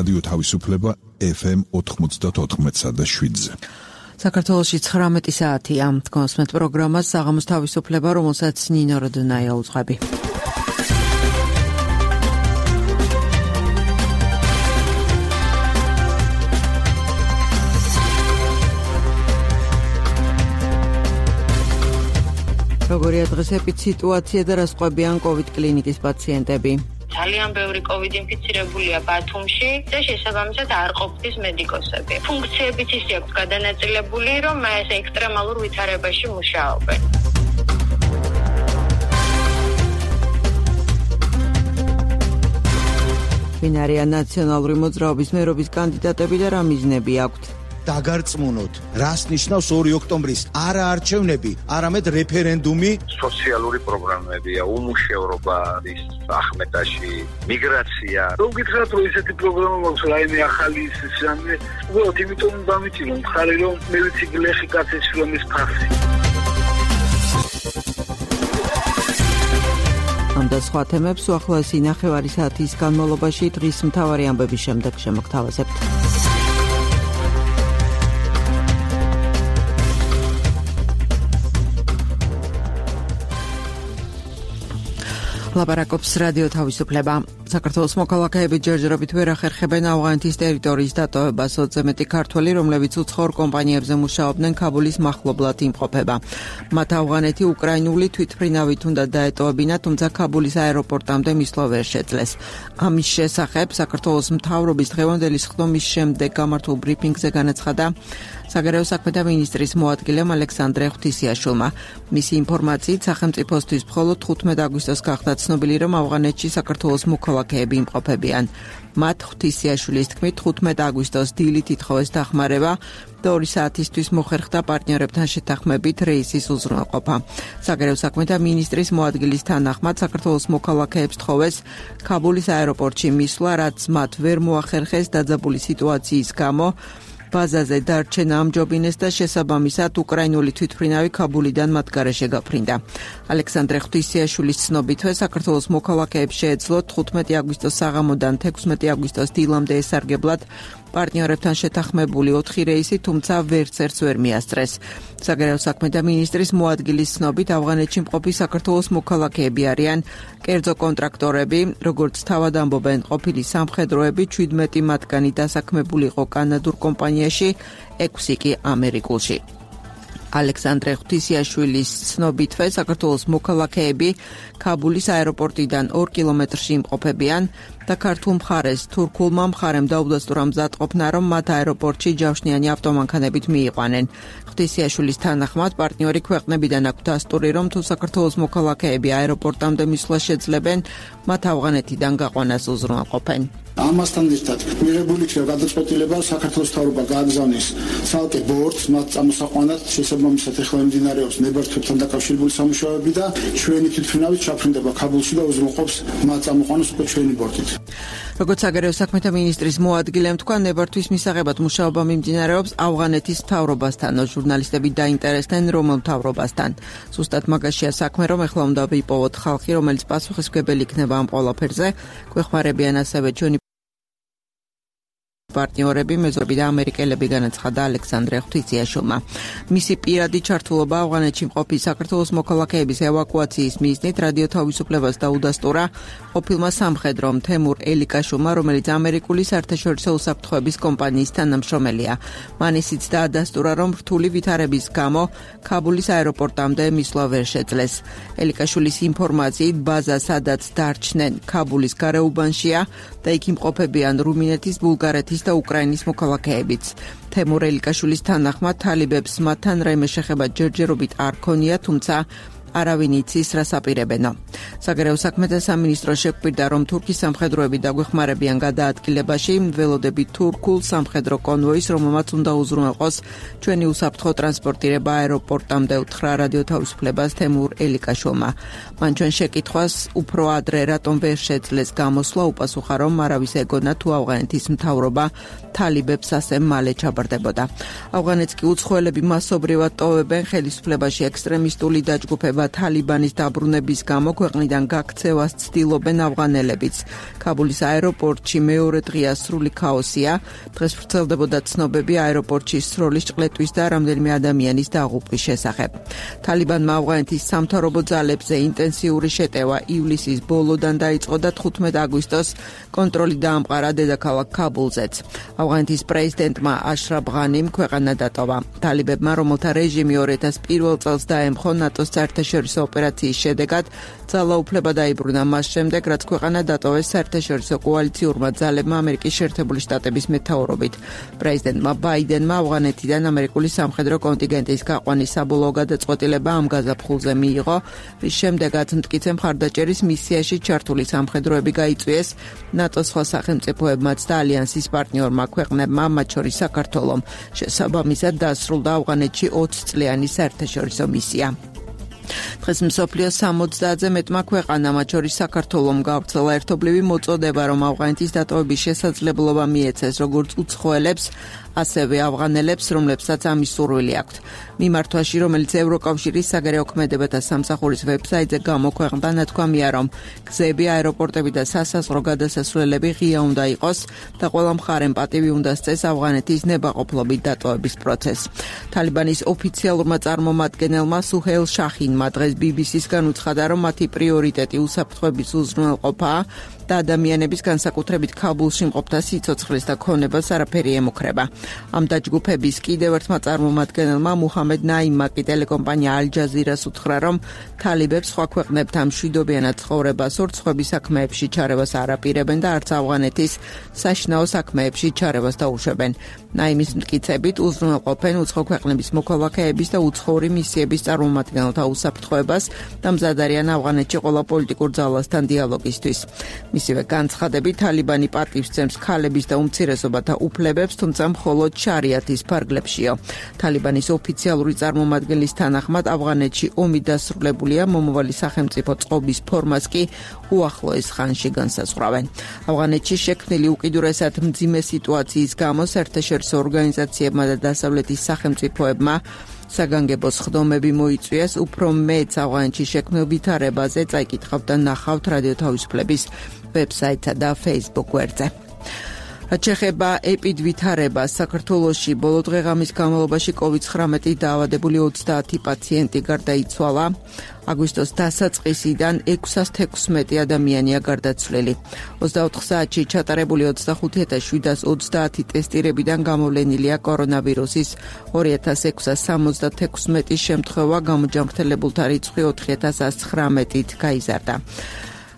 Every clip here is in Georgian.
რადიო თავისუფლება FM 94.7-ზე. საქართველოში 19 საათია. გონსმეთ პროგრამას საღამოს თავისუფლება, რომელსაც ნინო როდონაია უძღვები. როგორია დღესეპით სიტუაცია და რა სხვებიან COVID კლინიკის პაციენტები? ძალიან ბევრი COVID ინფიცირებულია ბათუმში და შესაბამისად არ ყოფნის მედიკოსები. ფუნქციებიც ისე აქვს გადანაწილებული, რომ ეს ექსტრემალურ ვითარებაში მუშაობენ. ვინ არიან ნაციონალური მოძრაობის მერობის კანდიდატები და რა მიზნები აქვთ? დაგარწმუნოთ, რას ნიშნავს 2 ოქტომბრის არა არჩევნები, არამედ რეფერენდუმი. სოციალური პროგრამებია, უმუშევრობა ის ახმეტაში, მიგრაცია. რომ გითხრათ, რომ ესეთი პროგრამა მაქვს, რაიმე ახალი ისე, უბრალოდ იმიტომ დამიჭირო მხარი, რომ მე ვიცი გლეხი კაცის შრომის ფასი. ამ და სხვა თემებს უახლოესი ნახევარი საათის განმავლობაში დღის მთავარი ამბების შემდეგ შემოგთავაზებთ. ლაპარაკობს რადიო თავისუფლება. საქართველოს მოქალაქეები ჯერჯერობით ვერ ახერხებენ ავღანეთის ტერიტორიის დატოვებას. 20 მეტი ქართველი, რომლებიც უცხოურ კომპანიებზე მუშაობდნენ, ქაბულის მახლობლად იმყოფება. მათ ავღანეთი უკრაინული თვითმფრინავით უნდა დაეტოვებინა, თუმცა ქაბულის აეროპორტამდე მისვლა ვერ შეძლეს. ამის შესახებ საქართველოს მთავრობის დღევანდელი სხდომის შემდეგ გამართულ ბრიფინგზე განაცხადა საგარეო საქმეთა მინისტრის მოადგილემ ალექსანდრე ღვთისიაშვილმა. მისი ინფორმაციით, სახელმწიფოსთვის მხოლოდ 15 აგვისტოს გახდა ცნობილი, რომ ავღანეთში საქართველოს მოქალაქეები იმყოფებიან. მათ ღვთისიაშვილის თქმით, 15 აგვისტოს დილით ითხოვეს დახმარება და 2 საათისთვის მოხერხდა პარტნიორებთან შეთანხმებით რეისის უზრუნველყოფა. საგარეო საქმეთა მინისტრის მოადგილის თანახმად, საქართველოს მოქალაქეებს თხოვეს ქაბულის აეროპორტში მისვლა, რაც მათ ვერ მოახერხეს დაძაბული სიტუაციის გამო. ბაზაზე დარჩენა ამჯობინეს და შესაბამისად უკრაინული თვითმფრინავი ქაბულიდან მათ გარეშე გაფრინდა. ალექსანდრე ღვთისიაშვილის ცნობითვე საქართველოს მოქალაქეებს შეეძლოთ 15 აგვისტოს საღამოდან 16 აგვისტოს დილამდე ესარგებლად პარტნიორებთან შეთანხმებული 4 რეისი, თუმცა ვერც ერთს ვერ მიასწრეს. საგარეო საქმეთა მინისტრის მოადგილის ცნობით, ავღანეთში მყოფი საქართველოს მოქალაქეები არიან კერძო კონტრაქტორები, როგორც თავად ამბობენ ყოფილი სამხედროები, 17 მათგანი დასაქმებული იყო კანადურ კომპანიაში, 6 კი ამერიკულში. ალექსანდრე ღვთისიაშვილის ცნობითვე, საქართველოს მოქალაქეები ქაბულის აეროპორტიდან 2 კილომეტრში იმყოფებიან და ქართულ მხარეს თურქულმა მხარემ დაუდასტურა მზადყოფნა, რომ მათ აეროპორტში ჯავშნიანი ავტომანქანებით მიიყვანენ. ღვთისიაშვილის თანახმად, პარტნიორი ქვეყნებიდან აქვთ დასტური, რომ თუ საქართველოს მოქალაქეები აეროპორტამდე მისვლა შეძლებენ, მათ ავღანეთიდან გაყვანას უზრუნველყოფენ. ამასთან ერთად მიღებული იქნება გადაწყვეტილება საქართველოს მთავრობა გააგზავნის ცალკე ბორტს მათ წამოსაყვანად, შესაბამისად ეხლა მიმდინარეობს ნებართვებთან დაკავშირებული სამუშაოები და ჩვენი თვითმფრინავით ჩაფრინდება ქაბულში და უზრუნველყოფს მათ წამოყვანას უკვე ჩვენი ბორტით. როგორც საგარეო საქმეთა მინისტრის მოადგილემ თქვა, ნებართვის მისაღებად მუშაობა მიმდინარეობს ავღანეთის მთავრობასთან. ჟურნალისტები დაინტერესდნენ რომელ მთავრობასთან. ზუსტად მაგაშია საქმე, რომ ეხლა უნდა ვიპოვოთ ხალხი, რომელიც პასუხისმგებელი იქნება ამ ყველაფერზე. გვეხმარებიან ასევე ჩვენი პარტნიორები, მეზობი და ამერიკელები, განაცხადა ალექსანდრე ღვთისიაშვილმა. მისი პირადი ჩართულობა ავღანეთში მყოფი საქართველოს მოქალაქეების ევაკუაციის მიზნით რადიო თავისუფლებას დაუდასტურა ყოფილმა სამხედრომ თემურ ელიკაშვილმა, რომელიც ამერიკული საერთაშორისო უსაფრთხოების კომპანიის თანამშრომელია. მან ისიც დაადასტურა, რომ რთული ვითარების გამო ქაბულის აეროპორტამდე მისვლა ვერ შეძლეს. ელიკაშვილის ინფორმაციით, ბაზა, სადაც დარჩნენ, ქაბულის გარეუბანშია და იქ იმყოფებიან რუმინეთის, ბულგარეთის და უკრაინის მოქალაქეებიც. თემურ ელიკაშვილის თანახმად, თალიბებს მათთან რაიმე შეხება ჯერჯერობით არ ქონია, თუმცა არავინ იცის რას აპირებენო. საგარეო საქმეთა სამინისტრო შეგვირდა, რომ თურქის სამხედროები დაგვეხმარებიან გადაადგილებაში, ველოდებით თურქულ სამხედრო კონვოის, რომელმაც უნდა უზრუნველყოს ჩვენი უსაფრთხო ტრანსპორტირება აეროპორტამდე, უთხრა რადიო თავისუფლებას თემურ ელიკაშვილმა. მან ჩვენ შეკითხვას უფრო ადრე რატომ ვერ შეძლეს გამოსვლა, უპასუხა, რომ არავის ეგონა თუ ავღანეთის მთავრობა თალიბებს ასე მალე ჩაბარდებოდა. ავღანეთს კი უცხოელები მასობრივად ტოვებენ, ხელისუფლებაში ექსტრემისტული დაჯგუფება ითვლება თალიბანის დაბრუნების გამო ქვეყნიდან გაქცევას ცდილობენ ავღანელებიც. ქაბულის აეროპორტში მეორე დღეა სრული ქაოსია. დღეს ვრცელდებოდა ცნობები აეროპორტში სროლის ჭყლეტვის და რამდენიმე ადამიანის დაღუპვის შესახებ. თალიბანმა ავღანეთის სამთავრობო ძალებზე ინტენსიური შეტევა ივლისის ბოლოდან დაიწყო და 15 აგვისტოს კონტროლი დაამყარა დედაქალაქ ქაბულზეც. ავღანეთის პრეზიდენტმა აშრაფ ღანიმ ქვეყანა დატოვა. თალიბებმა, რომელთა რეჟიმი 2001 წელს დაემხო ნატოს საერთაშორისო ოპერაციის შედეგად, ძალაუფლება დაიბრუნა მას შემდეგ, რაც ქვეყანა დატოვეს საერთაშორისო კოალიციურმა ძალებმა ამერიკის შეერთებული შტატების მეთაურობით. პრეზიდენტმა ბაიდენმა ავღანეთიდან ამერიკული სამხედრო კონტინგენტის გაყვანის საბოლოო გადაწყვეტილება ამ გაზაფხულზე მიიღო, რის შემდეგაც მტკიცე მხარდაჭერის მისიაში ჩართული სამხედროები გაიწვიეს ნატოს სხვა სახელმწიფოებმაც და ალიანსის პარტნიორმა ქვეყნებმა, მათ შორის საქართველომ. შესაბამისად დასრულდა ავღანეთში 20 წლიანი საერთაშორისო მისია. დღეს მსოფლიოს 70-ზე მეტმა ქვეყანამ, მათ შორის საქართველომ, გავრცელა ერთობლივი მოწოდება, რომ ავღანეთის დატოვების შესაძლებლობა მიეცეს როგორც უცხოელებს, ასევე ავღანელებს, რომლებსაც ამის სურვილი აქვთ. მიმართვაში, რომელიც ევროკავშირის საგარეო ქმედებათა სამსახურის ვებსაიტზე გამოქვეყნდა, ნათქვამია, რომ გზები, აეროპორტები და სასაზღვრო გადასასვლელები ღია უნდა იყოს და ყველა მხარემ პატივი უნდა სცეს ავღანეთის ნებაყოფლობით დატოვების პროცესს. თალიბანის ოფიციალურმა წარმომადგენელმა სუჰეილ შახინმა დღეს BBC-სგან უცხადა, რომ მათი პრიორიტეტი უსაფრთხოების უზრუნველყოფაა და ადამიანების განსაკუთრებით ქაბულში მყოფთა სიცოცხლის და ქონებას არაფერი ემუქრება. ამ დაჯგუფების კიდევ ერთმა წარმომადგენელმა მუჰამედ ნაიმმა კი ტელეკომპანია ალ-ჯაზირას უთხრა, რომ თალიბებს სხვა ქვეყნებთან მშვიდობიანად ცხოვრებას ურცხვების საქმეებში ჩარევას არ აპირებენ და არც ავღანეთის საშინაო საქმეებში ჩარევას დაუშვებენ. ნაიმის მტკიცებით უზრუნველყოფენ უცხო ქვეყნების მოქალაქეების და უცხოური მისიების წარმომადგენელთა უსაფრთხოებას და მზად არიან ავღანეთში ყველა პოლიტიკურ ძალასთან დიალოგისთვის. მისივე განცხადებით, თალიბანი პატივს სცემს ქალების და უმცირესობათა უფლებებს, თუმცა მხოლოდ შარიათის ფარგლებშიო. თალიბანის ოფიციალური წარმომადგენლის თანახმად, ავღანეთში ომი დასრულებულია, მომავალი სახელმწიფო წყობის ფორმას კი უახლოეს ხანში განსაზღვრავენ. ავღანეთში შექმნილი უკიდურესად მძიმე სიტუაციის გამო საერთაშორისო ორგანიზაციებმა და დასავლეთის სახელმწიფოებმა საგანგებო სხდომები მოიწვიეს, უფრო მეც ავღანეთში შექმნილ ვითარებაზე წაიკითხავთ და ნახავთ რადიო თავისუფლების ვებსაიტსა და Facebook გვერდზე. ჩეხება ეპიდვითარებას საქართველოში ბოლო დღეღამის განმავლობაში COVID-19 დაავადებული 30 პაციენტი გარდაიცვალა. აგვისტოს დასაწყისიდან 616 ადამიანია გარდაცვლილი. 24 საათში ჩატარებული 25730 ტესტირებიდან გამოვლენილია კორონავირუსის 2676 შემთხვევა, გამოჯანმრთელებულთა რიცხვი 4119-ით გაიზარდა.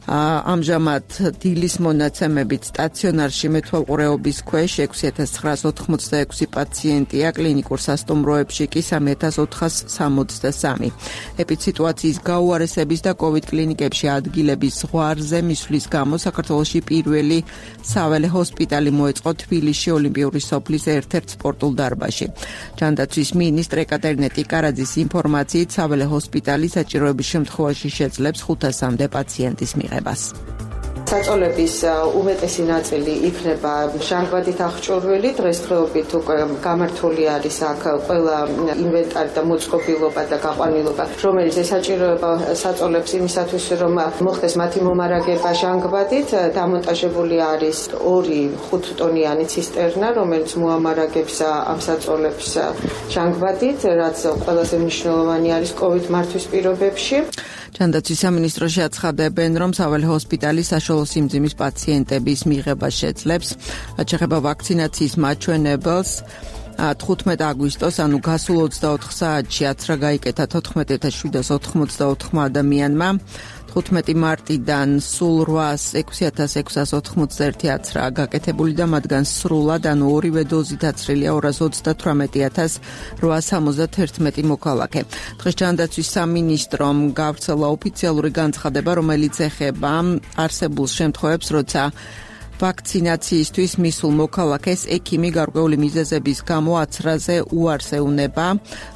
ამჟამად დილის მონაცემებით სტაციონარში მეთვალყურეობის ქვეშ 6986 პაციენტია, კლინიკურ სასტუმროებში კი 3463. ეპიდსიტუაციის გაუარესების და COVID კლინიკებში ადგილების ზღვარზე მისვლის გამო საქართველოში პირველი საველე ჰოსპიტალი მოეწყო თბილისში ოლიმპიური სოფლის ერთ-ერთ სპორტულ დარბაზში. ჯანდაცვის მინისტრ ეკატერინე ტიკარაძის ინფორმაციით, საველე ჰოსპიტალი საჭიროების შემთხვევაში შეძლებს 500-მდე პაციენტის მიღებას. საწოლების უმეტესი ნაწილი იქნება ჟანგბადით აღჭურვილი. დღესდღეობით უკვე გამართული არის აქ ყველა ინვენტარი და მოწყობილობა და გაყვანილობა, რომელიც ესაჭიროება საწოლებს იმისათვის, რომ მოხდეს მათი მომარაგება ჟანგბადით. დამონტაჟებული არის 2 5-ტონიანი ცისტერნა, რომელიც მოამარაგებს ამ საწოლებს ჟანგბადით, რაც ყველაზე მნიშვნელოვანი არის COVID მართვის პირობებში. ჯანდაცვის სამინისტროში აცხადებენ, რომ საველე ჰოსპიტალი საშუალო სიმძიმის პაციენტების მიღებას შეძლებს. შეეხება ვაქცინაციის მაჩვენებელს, 15 აგვისტოს, ანუ გასულ 24 საათში აცრა გაიკეთა 14784 ადამიანმა. 15 მარტიდან სულ 606691 აცრაა გაკეთებული და მათგან სრულად, ანუ ორივე დოზით აცრილია 238,871 მოქალაქე. დღეს ჯანდაცვის სამინისტრომ გავრცელა ოფიციალური განცხადება, რომელიც ეხება არსებულ შემთხვევებს, როცა ვაქცინაციისთვის მისულ მოქალაქეს ექიმი გარკვეული მიზეზების გამო აცრაზე უარს ეუნება.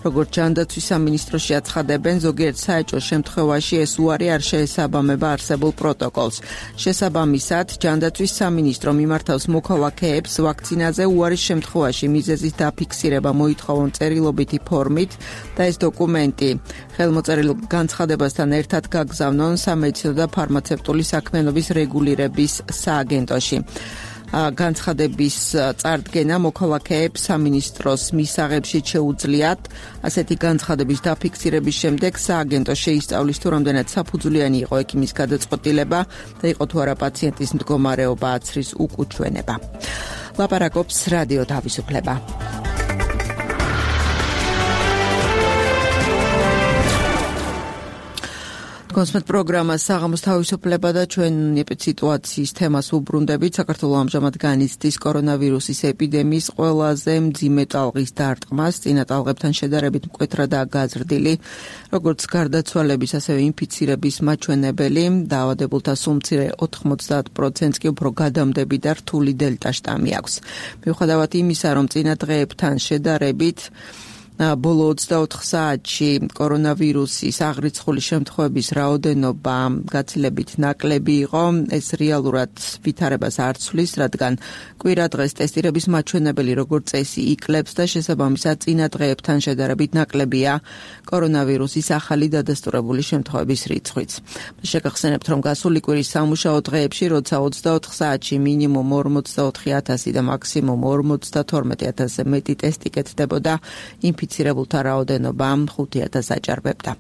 როგორც ჯანდაცვის სამინისტროში აცხადებენ, ზოგიერთ საეჭვო შემთხვევაში ეს უარი არ შეესაბამება არსებულ პროტოკოლს. შესაბამისად, ჯანდაცვის სამინისტრო მიმართავს მოქალაქეებს ვაქცინაზე უარის შემთხვევაში მიზეზის დაფიქსირება მოითხოვონ წერილობითი ფორმით და ეს დოკუმენტი ხელმოწერილ განცხადებასთან ერთად გაგზავნონ სამედიცინო და ფარმაცევტული საქმიანობის რეგულირების სააგენტოში. განცხადების წარდგენა მოქალაქეებს სამინისტროს მისაღებშიც შეუძლიათ. ასეთი განცხადების დაფიქსირების შემდეგ სააგენტო შეისწავლის თუ რამდენად საფუძვლიანი იყო ექიმის გადაწყვეტილება და იყო თუ არა პაციენტის მდგომარეობა აცრის უკუჩვენება. ლაპარაკობს რადიო თავისუფლება. კონსმეთ პროგრამა საღამოს თავისუფლება და ჩვენ ეპიდემიის თემას უბრუნდებით. საქართველოს ამჟამად განიცდის კორონავირუსის ეპიდემიის ყველაზე მძიმე ტალღის დარტყმას. წინა ტალღებთან შედარებით მკვეთრადაა გაზრდილი როგორც გარდაცვალების, ასევე ინფიცირების მაჩვენებელი. დაავადებულთა სულ მცირე 90%-ს კი უფრო გადამდები და რთული დელტა შტამი აქვს. მიუხედავად იმისა, რომ წინა დღეებთან შედარებით ბოლო 24 საათში კორონავირუსის აღრიცხული შემთხვევების რაოდენობა გაცილებით ნაკლები იყო. ეს რეალურად ვითარებას არ ცვლის, რადგან კვირა დღეს ტესტირების მაჩვენებელი როგორც წესი იკლებს და შესაბამისად წინა დღეებთან შედარებით ნაკლებია კორონავირუსის ახალი დადასტურებული შემთხვევების რიცხვიც. შეგახსენებთ, რომ გასული კვირის სამუშაო დღეებში, როცა 24 საათში მინიმუმ 44,000 და მაქსიმუმ 52,000-ზე მეტი ტესტი კეთდებოდა, ინფიცირებულთა რაოდენობა 5,000 აჭარბებდა.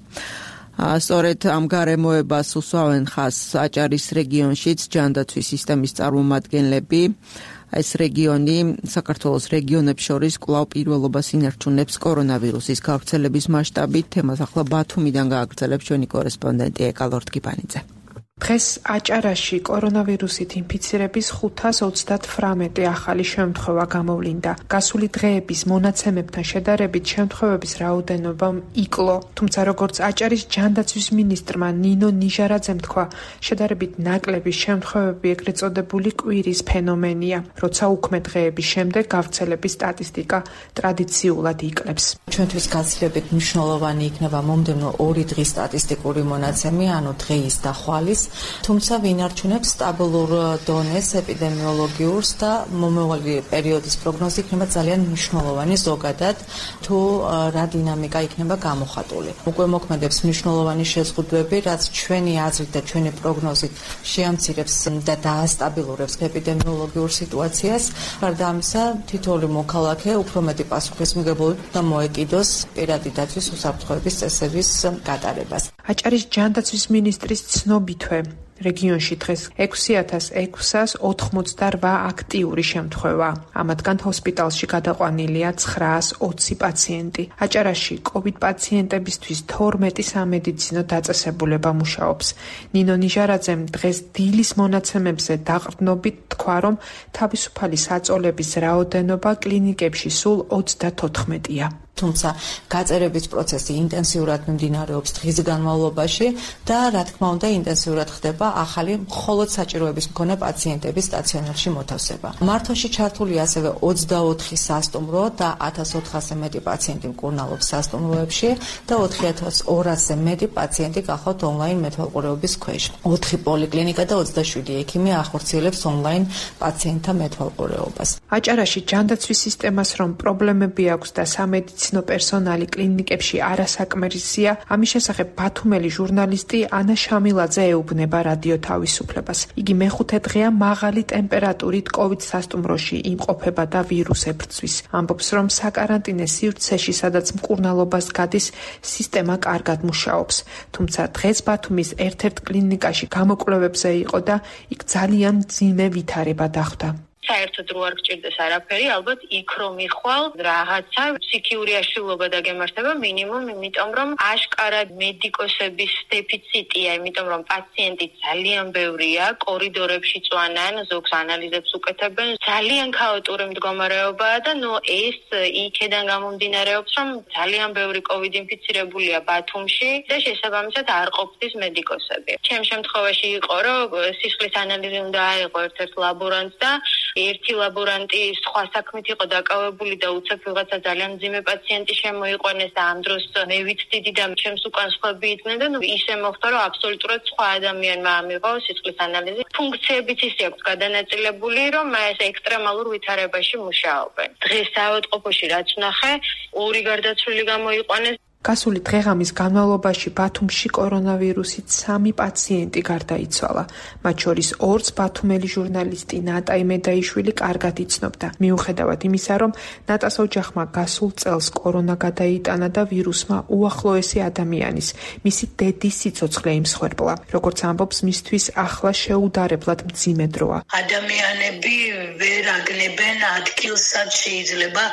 სწორედ ამ გარემოებას უსვამენ ხაზს აჭარის რეგიონშიც ჯანდაცვის სისტემის წარმომადგენლები. ეს რეგიონი საქართველოს რეგიონებს შორის კვლავ პირველობას ინარჩუნებს კორონავირუსის გავრცელების მასშტაბით. თემას ახლა ბათუმიდან გააგრძელებს ჩვენი კორესპონდენტი ეკალორდ კიპანიძე. დღეს აჭარაში კორონავირუსით ინფიცირების 538 ახალი შემთხვევა გამოვლინდა. გასული დღეების მონაცემებთან შედარებით შემთხვევების რაოდენობა იკლო. თუმცა როგორც აჭარის ჯანდაცვის მინისტრმა ნინო ნიჟარაძემ თქვა, შედარებით ნაკლები შემთხვევები ეგრეთ წოდებული კვირის ფენომენია, როცა უქმე დღეების შემდეგ გავრცელების სტატისტიკა ტრადიციულად იკლებს. ჩვენთვის გაცილებით მნიშვნელოვანი იქნება მომდევნო 2 დღის სტატისტიკური მონაცემი, ანუ დღეის და ხვალის. თუმცა ვინარჩუნებს სტაბილურ დონეს ეპიდემიოლოგიურს და მომავალი პერიოდის პროგნოზი იქნება ძალიან მნიშვნელოვანი ზოგადად თუ რა დინამიკა იქნება გამოხატული. უკვე მოქმედებს მნიშვნელოვანი შეზღუდვები, რაც ჩვენი აზრით და ჩვენი პროგნოზით შეამცირებს და დაასტაბილურებს ეპიდემიოლოგიურ სიტუაციას. გარდა ამისა, თითოეული მოქალაქე უფრო მეტი პასუხისმგებლობით უნდა მოეკიდოს პირადი დაცვის უსაფრთხოების წესების გატარებას. აჭარის ჯანდაცვის მინისტრის ცნობითვე რეგიონში დღეს 6,688 აქტიური შემთხვევა. ამათგან ჰოსპიტალში გადაყვანილია 920 პაციენტი. აჭარაში COVID პაციენტებისთვის 12 სამედიცინო დაწესებულება მუშაობს. ნინო ნიჟარაძემ დღეს დილის მონაცემებზე დაყრდნობით თქვა, რომ თავისუფალი საწოლების რაოდენობა კლინიკებში სულ 34-ია. თუმცა გაწერების პროცესი ინტენსიურად მიმდინარეობს დღის განმავლობაში და რა თქმა უნდა ინტენსიურად ხდება ახალი მხოლოდ საჭიროების მქონე პაციენტების სტაციონარში მოთავსება. მართვაში ჩართულია ასევე 24 სასტუმრო და 1400-ზე მეტი პაციენტი მკურნალობს სასტუმროებში და 4200-ზე მეტი პაციენტი გახავთ ონლაინ მეთვალყურეობის ქვეშ. 4 პოლიკლინიკა და 27 ექიმი ახორციელებს ონლაინ პაციენტთა მეთვალყურეობას. აჭარაში ჯანდაცვის სისტემას რომ პრობლემები აქვს და სამედიცინო პერსონალი კლინიკებში არასაკმარისია, ამის შესახებ ბათუმელი ჟურნალისტი ანა შამილაძე ეუბნება რადიო თავისუფლებას. იგი მეხუთე დღეა მაღალი ტემპერატურით COVID სასტუმროში იმყოფება და ვირუს ებრძვის. ამბობს, რომ საკარანტინე სივრცეში, სადაც მკურნალობას გადის, სისტემა კარგად მუშაობს. თუმცა დღეს ბათუმის ერთ-ერთ კლინიკაში გამოკვლევებზე იყო და იქ ძალიან მძიმე ვითარება დახვდა. საერთოდ რო არ გჭირდეს არაფერი, ალბათ იქ რომ იხვალ რაღაცა ფსიქიური აშლილობა დაგემართება მინიმუმ, იმიტომ რომ აშკარად მედიკოსების დეფიციტია, იმიტომ რომ პაციენტი ძალიან ბევრია, კორიდორებში წვანან, ზოგს ანალიზებს უკეთებენ, ძალიან ქაოტური მდგომარეობაა და ეს იქედან გამომდინარეობს, რომ ძალიან ბევრი COVID ინფიცირებულია ბათუმში და შესაბამისად არ ყოფნის მედიკოსები. ჩემ შემთხვევაში იყო, რომ სისხლის ანალიზი უნდა აიღო ერთ-ერთ ლაბორანტს და ერთი ლაბორანტი სხვა საქმით იყო დაკავებული და უცებ ვიღაცა ძალიან მძიმე პაციენტი შემოიყვანეს და ამ დროს მე ვიცდიდი და ჩემს უკან სხვები იყვნენ და ისე მოხდა, რომ აბსოლუტურად სხვა ადამიანმა ამიღო სისხლის ანალიზი. ფუნქციებიც ისე აქვს გადანაწილებული, რომ ეს ექსტრემალურ ვითარებაში მუშაობენ. დღეს საავადმყოფოში რაც ვნახე, 2 გარდაცვლილი გამოიყვანეს. გასული დღეღამის განმავლობაში ბათუმში კორონავირუსით 3 პაციენტი გარდაიცვალა. მათ შორის 2-ს ბათუმელი ჟურნალისტი ნატა იმედაიშვილი კარგად იცნობდა. მიუხედავად იმისა, რომ ნატას ოჯახმა გასულ წელს კორონა გადაიტანა და ვირუსმა უახლოესი ადამიანის, მისი დედის სიცოცხლე იმსხვერპლა. როგორც ამბობს, მისთვის ახლა შეუდარებლად მძიმე დროა. ადამიანები ვერ აგნებენ ადგილს, სადაც შეიძლება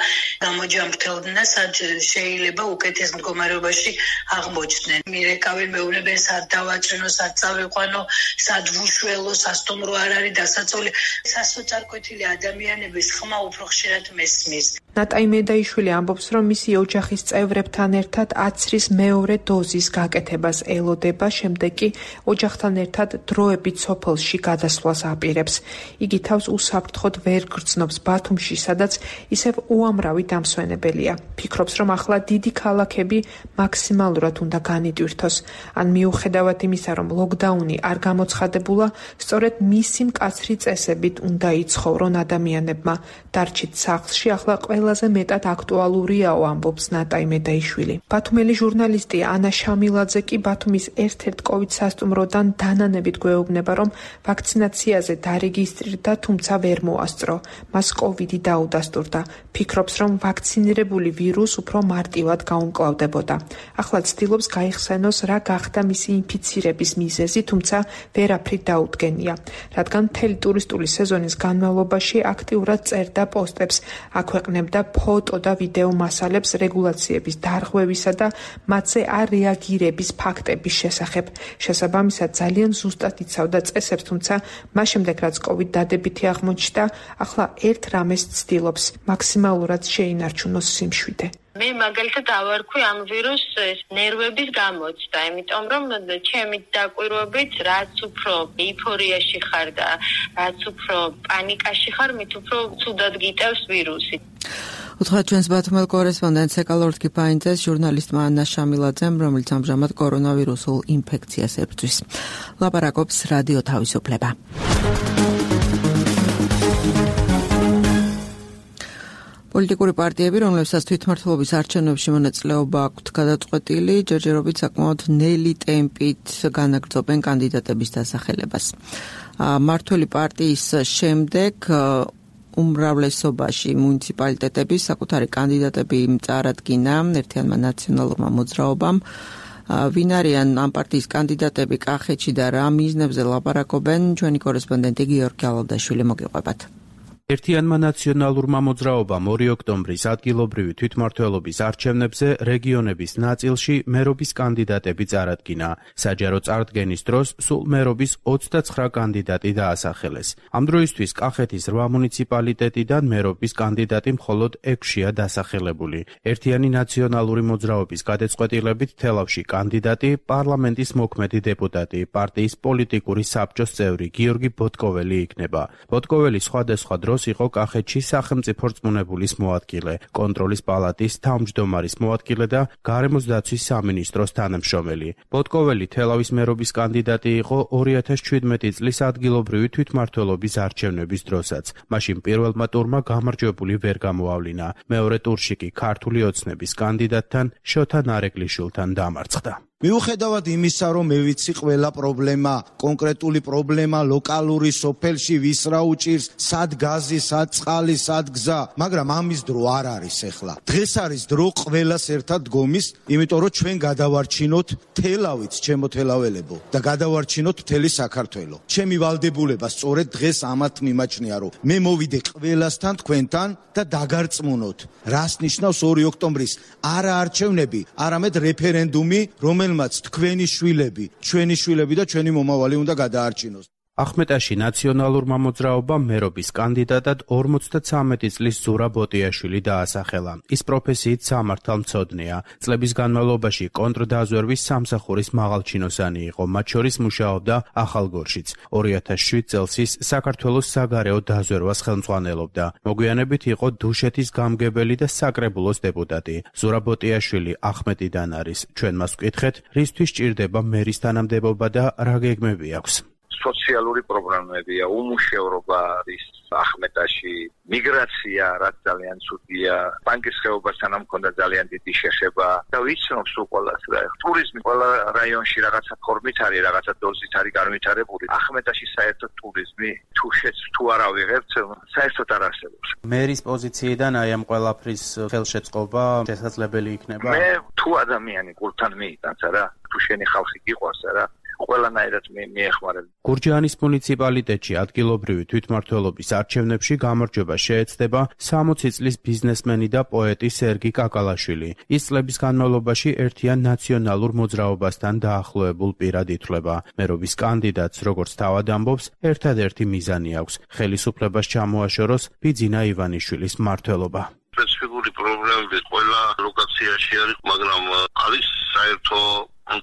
გამოჯამრთელდნენ და სადაც შეიძლება უკეთეს მდგომარეობაში აღმოჩნდნენ. მირეკავენ, მეუბნებენ, სად დავაჭრინო, სად წავიყვანო, სად ვუშველო, სასტუმრო არ არის დასაწოლი. სასოწარკვეთილი ადამიანების ხმა უფრო ხშირად მესმის. ნატა იმედაიშვილი ამბობს, რომ მისი ოჯახის წევრებთან ერთად აცრის მეორე დოზის გაკეთებას ელოდება, შემდეგ კი ოჯახთან ერთად დროებით სოფელში გადასვლას აპირებს. იგი თავს უსაფრთხოდ ვერ გრძნობს ბათუმში, სადაც ისევ უამრავი დამსვენებელია. ფიქრობს, რომ ახლა დიდი ქალაქები მაქსიმალურად უნდა განიტვირთოს. ან მიუხედავად იმისა, რომ ლოკდაუნი არ გამოცხადებულა, სწორედ მისი მკაცრი წესებით უნდა იცხოვრონ ადამიანებმა. დარჩით სახლში ახლა ყველაზე მეტად აქტუალურიაო, ამბობს ნატა იმედაიშვილი. ბათუმელი ჟურნალისტი ანა შამილაძე კი ბათუმის ერთ-ერთ COVID სასტუმროდან დანანებით გვეუბნება, რომ ვაქცინაციაზე დარეგისტრირდა, თუმცა ვერ მოასწრო. მას COVID-ი დაუდასტურდა. ფიქრობს, რომ ვაქცინირებული ვირუს უფრო მარტივად გაუმკლავდებოდა. ახლა ცდილობს გაიხსენოს, რა გახდა მისი ინფიცირების მიზეზი, თუმცა ვერაფრით დაუდგენია. რადგან მთელი ტურისტული სეზონის განმავლობაში აქტიურად წერდა პოსტებს, აქვეყნებდა ფოტო და ვიდეო მასალებს რეგულაციების დარღვევისა და მათზე არ რეაგირების ფაქტების შესახებ. შესაბამისად ძალიან ზუსტად იცავდა წესებს, თუმცა მას შემდეგ რაც COVID დადებითი აღმოჩნდა, ახლა ერთ რამეს ცდილობს, მაქსიმალურად შეინარჩუნოს სიმშვიდე. მე მაგალითად ავარქვი ამ ვირუსს ნერვების გამოცდა, იმიტომ რომ ჩემი დაკვირვებით რაც უფრო ეიფორიაში ხარ და რაც უფრო პანიკაში ხარ, მით უფრო ცუდად გიტევს ვირუსი. უთხრათ ჩვენს ბათუმელ კორესპონდენტს ეკალორდ კიფაინძეს ჟურნალისტმა ანა შამილაძემ, რომელიც ამჟამად კორონავირუსულ ინფექციას ებრძვის. ლაპარაკობს რადიო თავისუფლება. პოლიტიკური პარტიები, რომლებსაც თვითმმართველობის არჩევნებში მონაწილეობა აქვთ გადაწყვეტილი, ჯერჯერობით საკმაოდ ნელი ტემპით განაგრძობენ კანდიდატების დასახელებას. მმართველი პარტიის შემდეგ უმრავლესობაში მუნიციპალიტეტების საკუთარი კანდიდატები წარადგინა ერთიანმა ნაციონალურმა მოძრაობამ. ვინ არიან ამ პარტიის კანდიდატები კახეთში და რა მიზნებზე ლაპარაკობენ, ჩვენი კორესპონდენტი გიორგი ალავდაშვილი მოგიყვებათ. ერთიანმა ნაციონალურმა მოძრაობამ 2 ოქტომბრის ადგილობრივი თვითმმართველობის არჩევნებზე რეგიონების ნაწილში მერობის კანდიდატები წარადგინა. საჯარო წარდგენის დროს სულ მერობის 29 კანდიდატი დაასახელეს. ამ დროისთვის კახეთის 8 მუნიციპალიტეტიდან მერობის კანდიდატი მხოლოდ 6-ია დასახელებული. ერთიანი ნაციონალური მოძრაობის გადაწყვეტილებით თელავში კანდიდატი პარლამენტის მოქმედი დეპუტატი, პარტიის პოლიტიკური საბჭოს წევრი გიორგი ბოტკოველი იქნება. ბოტკოველი სხვადასხვა დროს იყო კახეთში სახელმწიფო რწმუნებულის მოადგილე, კონტროლის პალატის თავმჯდომარის მოადგილე და გარემოს დაცვის სამინისტროს თანამშრომელი. ბოტკოველი თელავის მერობის კანდიდატი იყო 2017 წლის ადგილობრივი თვითმმართველობის არჩევნების დროსაც. მაშინ პირველმა ტურმა გამარჯვებული ვერ გამოავლინა. მეორე ტურში კი ქართული ოცნების კანდიდატთან შოთა ნარეკლიშვილთან დამარცხდა. მიუხედავად იმისა, რომ მე ვიცი ყველა პრობლემა, კონკრეტული პრობლემა ლოკალური სოფელში ვის რა უჭირს, სად გაზი, სად წყალი, სად გზა, მაგრამ ამის დრო არ არის ახლა. დღეს არის დრო ყველას ერთად დგომის, იმიტომ რომ ჩვენ გადავარჩინოთ თელავით, ჩემო თელაველებო და გადავარჩინოთ მთელი საქართველო. ჩემი ვალდებულება სწორედ დღეს ამათ მიმაჩნია, რომ მე მოვიდე ყველასთან თქვენთან და დაგარწმუნოთ. რას ნიშნავს 2 ოქტომბრის არა არჩევნები, არამედ რეფერენდუმი, რომელმაც თქვენი შვილები, ჩვენი შვილები და ჩვენი მომავალი უნდა გადაარჩინოს. ახმეტაში ნაციონალურმა მოძრაობამ მერობის კანდიდატად 53 წლის ზურაბ ბოტიაშვილი დაასახელა. ის პროფესიით სამართალმცოდნეა. წლების განმავლობაში კონტრდაზვერვის სამსახურის მაღალჩინოსანი იყო, მათ შორის მუშაობდა ახალგორშიც. 2007 წელს ის საქართველოს საგარეო დაზვერვას ხელმძღვანელობდა. მოგვიანებით იყო დუშეთის გამგებელი და საკრებულოს დეპუტატი. ზურაბ ბოტიაშვილი ახმეტიდან არის. ჩვენ მას ვკითხეთ, რისთვის ჭირდება მერის თანამდებობა და რა გეგმები აქვს. სოციალური პროგრამებია, უმუშევრობა არის ახმეტაში, მიგრაცია, რაც ძალიან ცუდია, ბანკის ხეობასთან მქონდა ძალიან დიდი შეხება და ვიცნობ სულ ყველას რა. ტურიზმი ყველა რაიონში რაღაცა ფორმით არის, რაღაცა დოზით არის განვითარებული. ახმეტაში საერთოდ ტურიზმი თუ არ ავიღებთ, საერთოდ არ არსებობს. მერის პოზიციიდან აი ამ ყველაფრის ხელშეწყობა შესაძლებელი იქნება? მე თუ ადამიანი გულთან მიიტანს რა, თუ შენი ხალხი გიყვარს რა, ყველანაირად მიეხმარებ. გურჯაანის მუნიციპალიტეტში ადგილობრივი თვითმმართველობის არჩევნებში გამარჯვება შეეცდება 60 წლის ბიზნესმენი და პოეტი სერგი კაკალაშვილი. ის წლების განმავლობაში ერთიან ნაციონალურ მოძრაობასთან დაახლოებულ პირად ითვლება. მერობის კანდიდატს, როგორც თავად ამბობს, ერთადერთი მიზანი აქვს: ხელისუფლებას ჩამოაშოროს ბიძინა ივანიშვილის მმართველობა. სპეციფიკური პრობლემები ყველა ლოკაციაში არის, მაგრამ არის საერთო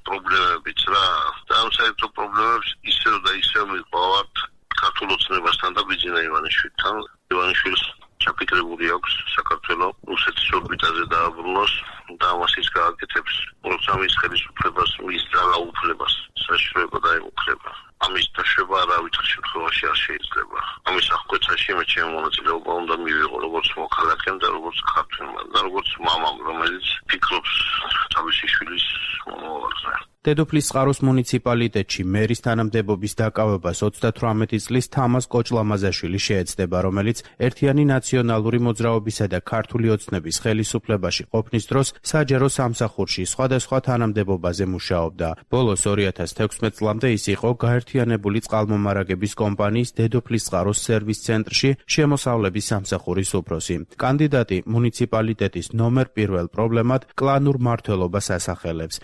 პრობლემებიც რა. და ამ საერთო პრობლემებს ისევ და ისევ მიყავართ ქართულ ოცნებასთან და ბიძინა ივანიშვილთან. ივანიშვილს ჩაფიქრებული აქვს საქართველოს რუსეთის ორბიტაზე დააბრუნოს და ამას ის გააკეთებს, როცა მის ხელისუფლებას მის ძალაუფლებას საშუალება დაემუქრება. ამის დაშვება არავითარ შემთხვევაში არ შეიძლება. ამის აღკვეცაში მე ჩემი მონაწილეობა უნდა მივიღო როგორც მოქალაქემ და როგორც ქართველმა და როგორც მამამ, რომელიც ფიქრობს თავისი შვილის მომავალზე. დედოფლის წყაროს მუნიციპალიტეტში მერის თანამდებობის დაკავებას 38 წლის თამაზ კოჭლამაზაშვილი შეეცდება, რომელიც ერთიანი ნაციონალური მოძრაობისა და ქართული ოცნების ხელისუფლებაში ყოფნის დროს საჯარო სამსახურში სხვადასხვა თანამდებობაზე მუშაობდა. ბოლოს 2016 წლამდე ის იყო გაერთიანებული წყალმომარაგების კომპანიის დედოფლის წყაროს სერვის ცენტრში შემოსავლების სამსახურის უფროსი. კანდიდატი მუნიციპალიტეტის ნომერ 1 პრობლემად კლანურ მმართველობას ასახელებს.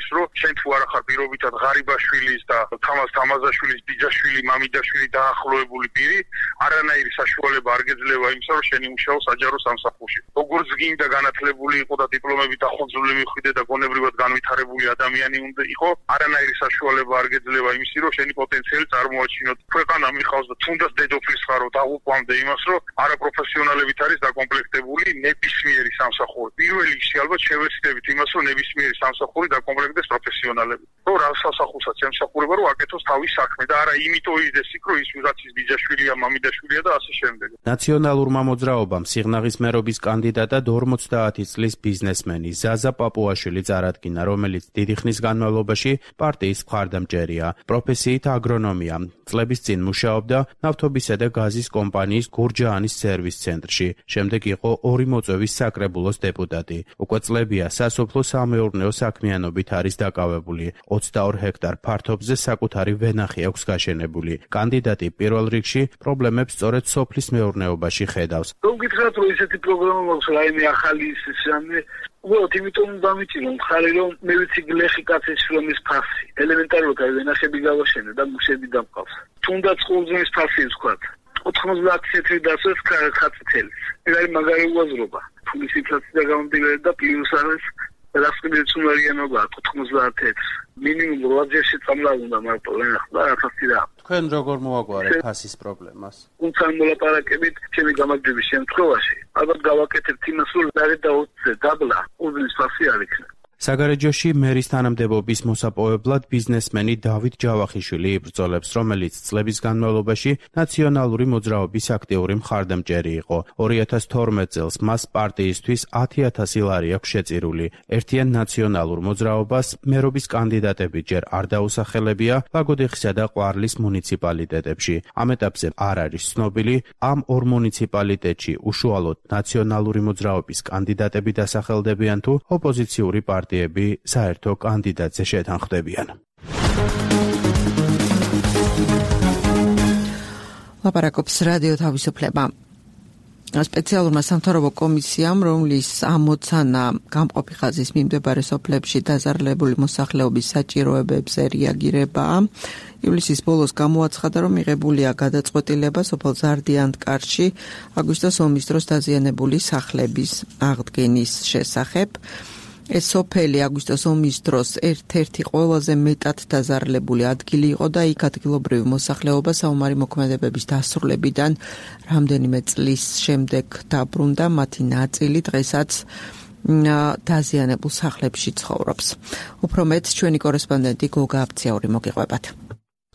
რომ შენ თუ არ ახარ პირობითად ღარიბაშვილის და თამაზ თამაზაშვილის ბიძაშვილი, მამიდაშვილი დაახლოებული პირი, არანაირი საშუალება არ გეძლევა იმისა, რომ შენი მუშაო საჯარო სამსახურში. როგორც გინდა განათლებული იყო და დიპლომებით ახონძული მიხვიდე და გონებრივად განვითარებული ადამიანი უნდა იყო, არანაირი საშუალება არ გეძლევა იმისი, რომ შენი პოტენციალი წარმოაჩინოთ. ქვეყანა მიხავს და თუნდაც დედოფლის ხარო დაღუპვამდე იმას, რომ არაპროფესიონალებით არის დაკომპლექტებული ნებისმიერი სამსახური. პირველ რიგში ალბათ შევეცდებით იმას, რომ ნებისმიერი სამსახური დაკომპლექტდეს პროფესიონალები. რომ რა სასახურსაც ემსახურება, რომ აკეთოს თავის საქმე და არა იმიტომ იზრდეს იქ, რომ ის ვიღაცის ბიძაშვილია, მამიდაშვილია და ასე შემდეგ. ნაციონალურმა მოძრაობამ სიღნაღის მერობის კანდიდატად 50 წლის ბიზნესმენი ზაზა პაპუაშვილი წარადგინა, რომელიც დიდი ხნის განმავლობაში პარტიის მხარდამჭერია. პროფესიით აგრონომია. წლების წინ მუშაობდა ნავთობისა და გაზის კომპანიის გურჯაანის სერვის ცენტრში. შემდეგ იყო 2 მოწვევის საკრებულოს დეპუტატი. უკვე წლებია სასოფლო-სამეურნეო საქმიანობით არის დაკავებული. 22 ჰექტარ ფართობზე საკუთარი ვენახი აქვს გაშენებული. კანდიდატი პირველ რიგში პრობლემებს სწორედ სოფლის მეურნეობაში ხედავს. გითხრათ, რომ ესეთი პროგრამა მაქვს, რაიმე ახალი ისე უბრალოდ იმიტომ დამიჭირო მხარი, რომ მე ვიცი გლეხი კაცის შრომის ფასი. ელემენტარულად აი ვენახები გავაშენე და მუშები დამყავს. თუნდაც ყურძნის ფასი ვთქვათ. 90 ცენტრი დასვეს ხაწითელის. ეს არის მაგარი უაზრობა. ფულის ინფლაცია გამომდინარე და პლუს არის რასკვნიც უნარიანობა 91. მინიმუმ 8-ჯერში წამლა უნდა მარტო და 1000 და. თქვენ როგორ მოაგვარეთ ფასის პრობლემას? თუმცა მოლაპარაკებით ჩემი გამარჯვების შემთხვევაში ალბათ გავაკეთებთ იმას, რომ დარეთ და 20-ზე დაბლა ყურძნის ფასი არ იქნება. საგარეჯოში მერის თანამდებობის მოსაპოვებლად ბიზნესმენი დავით ჯავახიშვილი იბრძოლებს, რომელიც წლების განმავლობაში ნაციონალური მოძრაობის აქტიური მხარდამჭერი იყო. 2012 წელს მას პარტიისთვის 10,000 ლარი აქვს შეწირული. ერთიან ნაციონალურ მოძრაობას მერობის კანდიდატები ჯერ არ დაუსახელებია ლაგოდეხისა და ყვარლის მუნიციპალიტეტებში. ამ ეტაპზე არ არის ცნობილი, ამ ორ მუნიციპალიტეტში უშუალოდ ნაციონალური მოძრაობის კანდიდატები დასახელდებიან თუ ოპოზიციური პარტიები საერთო კანდიდატზე შეთანხმდებიან. ლაპარაკობს რადიო თავისუფლება. სპეციალურმა სამთავრობო კომისიამ, რომლის ამოცანა გამყოფი ხაზის მიმდებარე სოფლებში დაზარალებული მოსახლეობის საჭიროებებზე რეაგირებაა, ივლისის ბოლოს გამოაცხადა, რომ მიღებულია გადაწყვეტილება სოფელ ზარდიანთკარში აგვისტოს ომის დროს დაზიანებული სახლების აღდგენის შესახებ. ეს სოფელი აგვისტოს ომის დროს ერთ-ერთი ყველაზე მეტად დაზარალებული ადგილი იყო და იქ ადგილობრივი მოსახლეობა საომარი მოქმედებების დასრულებიდან რამდენიმე წლის შემდეგ დაბრუნდა, მათი ნაწილი დღესაც დაზიანებულ სახლებში ცხოვრობს. უფრო მეტ ჩვენი კორესპონდენტი გოგა აბციური მოგიყვებათ.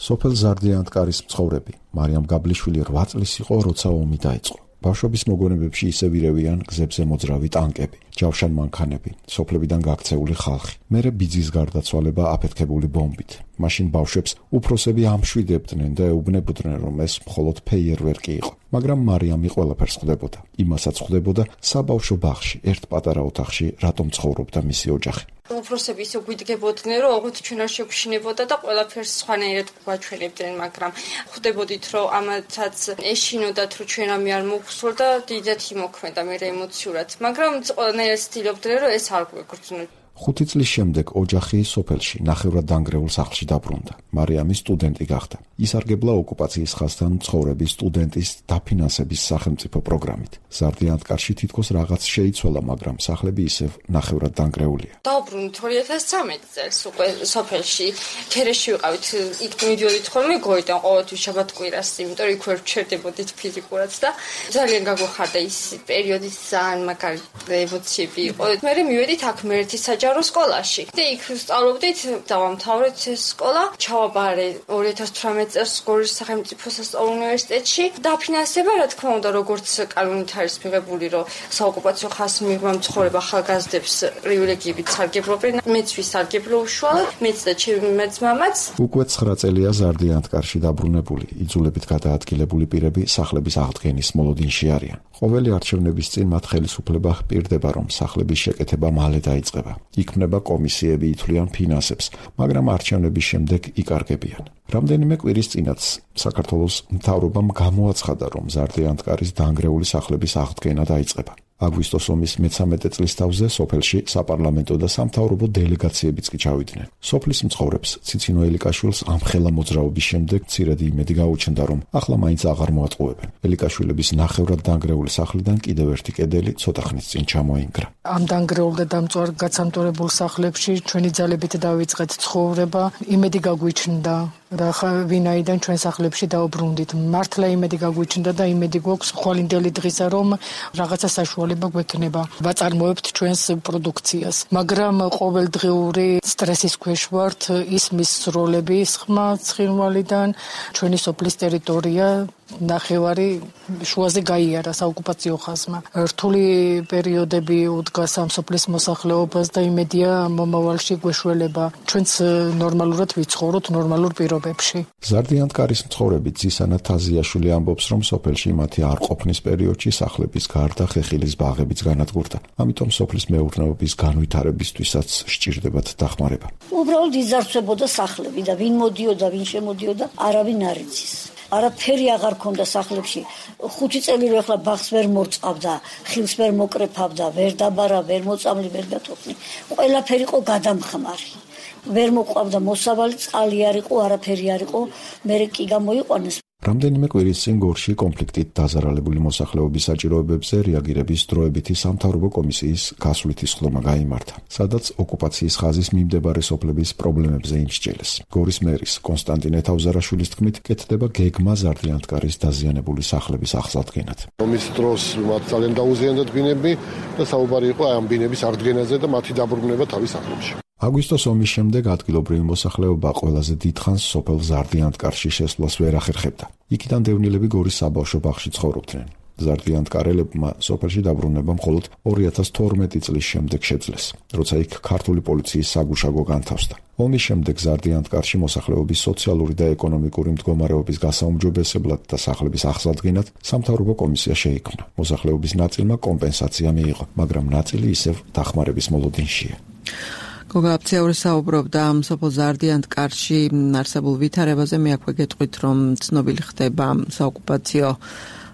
სოფელ ზარდიანთკარის მცხოვრები მარიამ გაბლიშვილი 8 წლის იყო, როცა ომი დაიწყო. ბავშვობის მოგონებებში ისევ ირევიან გზებზე მოძრავი ტანკები, ჯავშან მანქანები, სოფლებიდან გაქცეული ხალხი. მერე ბიძის გარდაცვალება აფეთქებული ბომბით. მაშინ ბავშვებს უფროსები ამშვიდებდნენ და ეუბნებოდნენ, რომ ეს მხოლოდ ფეიერვერკი იყო. მაგრამ მარიამი ყველაფერს ხვდებოდა. იმასაც ხვდებოდა საბავშვო ბაღში, ერთ პატარა ოთახში, რატომ ცხოვრობდა მისი ოჯახი. უფროსები ისე გვიდგებოდნენ, რომ ოღონდ ჩვენ არ შეგვშინებოდა და ყველაფერს სხვანაირად გვაჩვენებდნენ, მაგრამ ხვდებოდით, რომ ამათაც ეშინოდათ, რომ ჩვენ ამი არ მოგსურდა, დიდად იმოქმედა მე ემოციურად, მაგრამ ყველანაირად ცდილობდნენ, რომ ეს არ გვეგრძნო. 5 წლის შემდეგ ოჯახი სოფელში ნახევრად დანგრეულ სახლში დაბრუნდა. მარიამი სტუდენტი გახდა. ისარგებლა ოკუპაციის ხაზთან მცხოვრები სტუდენტის დაფინანსების სახელმწიფო პროგრამით. ზარდიანთკარში თითქოს რაღაც შეიცვალა, მაგრამ სახლები ისევ ნახევრად დანგრეულია. დავბრუნდით 2013 წელს უკვე სოფელში. ქერეში ვიყავით, იქ მიდიოდით ხოლმე გოიდან ყოველთვის შაბათ-კვირას, იმიტომ რომ იქ ვერ ვჩერდებოდით ფიზიკურად და ძალიან გაგვეხარდა ის პერიოდი, ძალიან მაგარი ემოციები იყო. მე მივედით აქ მერეთის საჯარო სკოლაში. და იქ ვსწავლობდით, დავამთავრეთ ეს სკოლა. ჩავაბარე 2018 წელს გორის სახელმწიფო სასწავლო უნივერსიტეტში. დაფინანსება, რა თქმა უნდა, როგორც კანონით არის მიღებული, რომ საოკუპაციო ხაზს მიღმა მცხოვრებ ახალგაზრდებს პრივილეგიებით სარგებლობენ. მეც ვისარგებლო უშუალოდ, მეც და ჩემი მეწმამაც. უკვე 9 წელია ზარდიანთკარში დაბრუნებული, იძულებით გადაადგილებული პირები სახლების აღდგენის მოლოდინში არიან. ყოველი არჩევნების წინ მათ ხელისუფლება ჰპირდება, რომ სახლების შეკეთება მალე დაიწყება. იქმნება კომისიები, ითვლიან ფინანსებს, მაგრამ არჩევნების შემდეგ იკარგებიან. რამდენიმე კვირის წინაც საქართველოს მთავრობამ გამოაცხადა, რომ ზარდიანთკარის დანგრეული სახლების აღდგენა დაიწყება. აგვისტოს ომის 13 წლის თავზე სოფელში საპარლამენტო და სამთავრობო დელეგაციებიც კი ჩავიდნენ. სოფლის მცხოვრებს ციცინო ელიკაშვილს ამხელა მოძრაობის შემდეგ მცირედი იმედი გაუჩნდა, რომ ახლა მაინც აღარ მოატყუებენ. ელიკაშვილების ნახევრად დანგრეული სახლიდან კიდევ ერთი კედელი ცოტა ხნის წინ ჩამოინგრა. ამ დანგრეულ და დამწვარ გაცამტორებულ სახლებში ჩვენი ძალებით დავიწყეთ ცხოვრება, იმედი გაგვიჩნდა. და ვინაიდან ჩვენ სახლებში დაუბრუნდით. მართლა იმედი გაგვიჩნდა და იმედი გვაქვს ხვალინდელი დღისა, რომ რაღაცა საშუალება გვექნება. ვაწარმოებთ ჩვენს პროდუქციას. მაგრამ ყოველდღიური სტრესის ქვეშ ვართ, ისმის სროლების ხმა ცხინვალიდან, ჩვენი სოფლის ტერიტორია ნახევარი შუაზე გაიარა საოკუპაციო ხაზმა. რთული პერიოდები უდგას ამ სოფლის მოსახლეობას და იმედია მომავალში გვეშველება. ჩვენც ნორმალურად ვიცხოვროთ ნორმალურ პირობებში. ზარდიანთკარის მცხოვრები ძისანა თაზიაშვილი ამბობს, რომ სოფელში მათი არ ყოფნის პერიოდში სახლების გარდა ხეხილის ბაღებიც განადგურდა. ამიტომ სოფლის მეურნეობის განვითარებისთვისაც სჭირდებათ დახმარება. უბრალოდ იზარცვებოდა სახლები და ვინ მოდიოდა, ვინ შემოდიოდა, არავინ არ იცის. არაფერი აღარ ქონდა სახლებში. 5 წელი რო ახლა ბაღს ვერ მოწყავდა, ხილს ვერ მოკრეფავდა, ვერ დაბარა, ვერ მოწამლი, ვერ გათოხნი. ყველაფერი იყო გადამხმარი. ვერ მოყვავდა მოსავალი, წყალი არ იყო, არაფერი არ იყო. მე კი გამოიყვანეს. რამდენიმე კვირის წინ გორში კონფლიქტით დაზარალებული მოსახლეობის საჭიროებებზე რეაგირების დროებითი სამთავრობო კომისიის გასვლითი სხდომა გაიმართა, სადაც ოკუპაციის ხაზის მიმდებარე სოფლების პრობლემებზე იმსჭელეს. გორის მერის კონსტანტინე თავზარაშვილის თქმით, კეთდება გეგმა ზარდიანთკარის დაზიანებული სახლების აღსადგენად. ომის დროს მათ ძალიან დაუზიანდა ბინები და საუბარი იყო ამ ბინების აღდგენაზე და მათი დაბრუნება თავის სახლებში. აგვისტოს ომის შემდეგ ადგილობრივი მოსახლეობა ყველაზე დიდხანს სოფელ ზარდიანთკარში შესვლას ვერ ახერხებდა. იქიდან დევნილები გორის საბავშვო ბაღში ცხოვრობდნენ. ზარდიანთკარელებმა სოფელში დაბრუნება მხოლოდ 2012 წლის შემდეგ შეძლეს, როცა იქ ქართული პოლიციის საგუშაგო განთავსდა. ომის შემდეგ ზარდიანთკარში მოსახლეობის სოციალური და ეკონომიკური მდგომარეობის გასაუმჯობესებლად და სახლების აღსადგენად სამთავრობო კომისია შეიქმნა. მოსახლეობის ნაწილმა კომპენსაცია მიიღო, მაგრამ ნაწილი ისევ დახმარების მოლოდინშია. გოგა აფციაური საუბრობდა სოფელ ზარდიანთკარში არსებულ ვითარებაზე. მე აქვე გეტყვით, რომ ცნობილი ხდება საოკუპაციო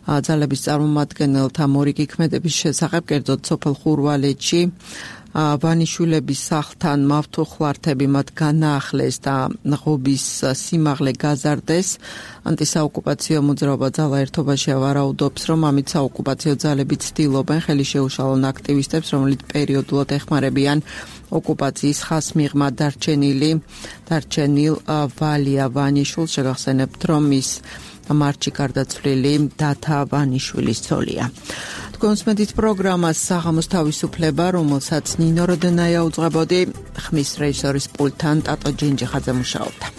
ძალების წარმომადგენელთა მორიგი ქმედების შესახებ, კერძოდ სოფელ ხურვალეთში ვანიშვილების სახლთან მავთუხლართები მათ განაახლეს და ღობის სიმაღლე გაზარდეს. ანტისაოკუპაციო მოძრაობა ძალა ერთობაში ვარაუდობს, რომ ამით საოკუპაციო ძალები ცდილობენ ხელი შეუშალონ აქტივისტებს, რომლებიც პერიოდულად ეხმარებიან ოკუპაციის ხაზს მიღმა დარჩენილ ვალია ვანიშვილს. შეგახსენებთ, რომ ის მარტში გარდაცვლილი დათა ვანიშვილის ცოლია. თქვენს მედით პროგრამას საღამოს თავისუფლება, რომელსაც ნინო როდენაია უძღვებოდი, ხმის რეჟისორის პულტთან ტატო ჯინჯიხაძე მუშაობდა.